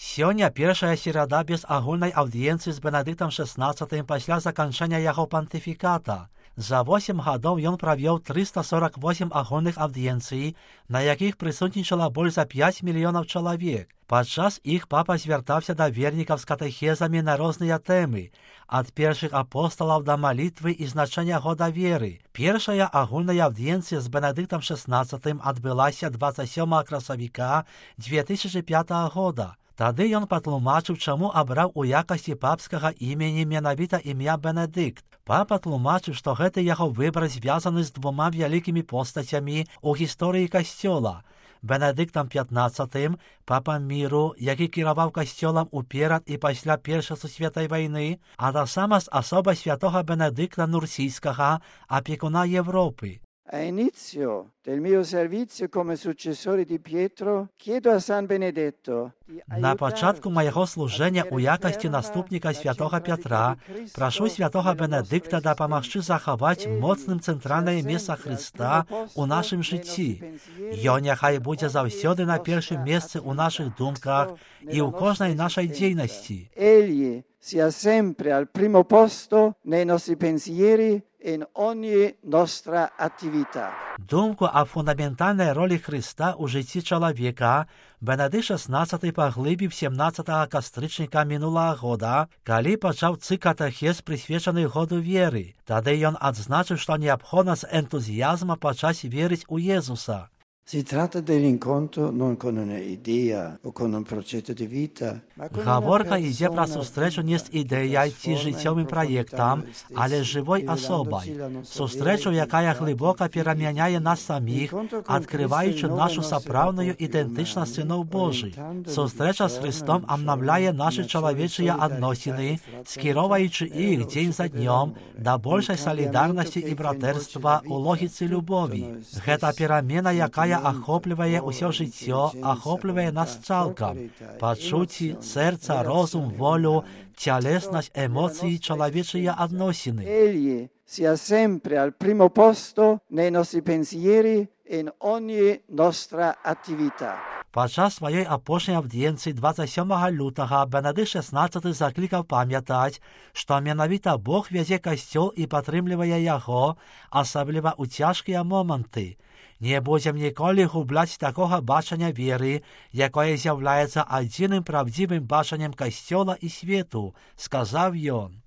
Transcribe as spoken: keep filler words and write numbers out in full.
Сёння першая серада без агульнай аўдыенцыі з Бенедыктам шестнадцатым пасля заканчэння яго пантыфіката. За восем гадоў ён правёў трыста сорок восем агульных аўдыенцый, на якіх прысутнічала больш за пяць мільёнаў чалавек. Падчас іх папа звяртаўся да вернікаў з катэхезамі на розныя тэмы, ад першых апосталаў да малітвы і значэння года веры. Першая агульная аўдыенцыя з Бенедыктам шестнадцатым адбылася дваццаць сёмага красавіка две тысячы пятага года. Тады ён патлумачыў, чаму абраў у якасці папскага імені менавіта імя Бенедыкт. Папа тлумачыў, што гэты яго выбар звязаны з двума вялікімі постацямі ў гісторыі касцёла. Бенедыктам пятнадцатым, папам міру, які кіраваў касцёлам уперад і пасля Першай сусветнай вайны, а таксама з асобай святога Бенедыкта Нурсійскага, апекуна Європи. A inizio del mio servizio come successore di Pietro, chiedo a San Benedetto На пачатку майго служэння ў якасці наступніка святога Пятра прашу святога Бенедыкта дапамагчы захаваць моцным цэнтральнае месца Хрыста ў нашым жыцці. Ён няхай будзе заўсёды на першым месцы ў нашых думках і ў кожнай нашай дзейнасці. Egli sia sempre al primo posto nei nostri pensieri e in ogni nostra attività. Думку аб фундаментальнай ролі Хрыста ў жыцці чалавека Бенедыкт шестнадцаты паглыбіў сямнаццатага кастрычніка мінулага года, калі пачаў цыкл катэхез, прысвечаны году веры. Тады ён адзначыў, што неабходна з энтузіязмам пачаць верыць у Єзуса. Si tratta dell'incontro non con un'idea o con un progetto di vita, ma con Гаворка ідзе пра сустрэчу не з ідэяй ці жыццёвым праектам, але з жывой асобай. Сустрэчу, якая глыбока перамяняе нас саміх, адкрываючы нашу сапраўдную ідэнтычнасць сыноў Божых. Сустрэча з Христом абнаўляе нашы чалавечыя адносіны, скіроўваючы іх дзень за днём да большай салідарнасці і братэрства ў логіцы любові. Гэта перамена, якая ахоплівае ўсё жыццё, ахоплівае нас цалкам. Пачуцці, сэрца, розум, волю, цялеснасць, эмоцыі, чалавечыя адносіны. Egli sia sempre al primo posto nei nostri pensieri e in ogni nostra attività. Падчас сваёй апошняй аўдыенцыі дваццаць сёмага лютага Бенедыкт шестнадцаты заклікаў памятаць, што менавіта Бог вязе касцёл і падтрымлівае яго, асабліва ў цяжкія моманты. Не будзем ніколі губляць такога бачання веры, якое з'яўляецца адзіным правдзівым бачаннем касцёла і свету, сказаў ён.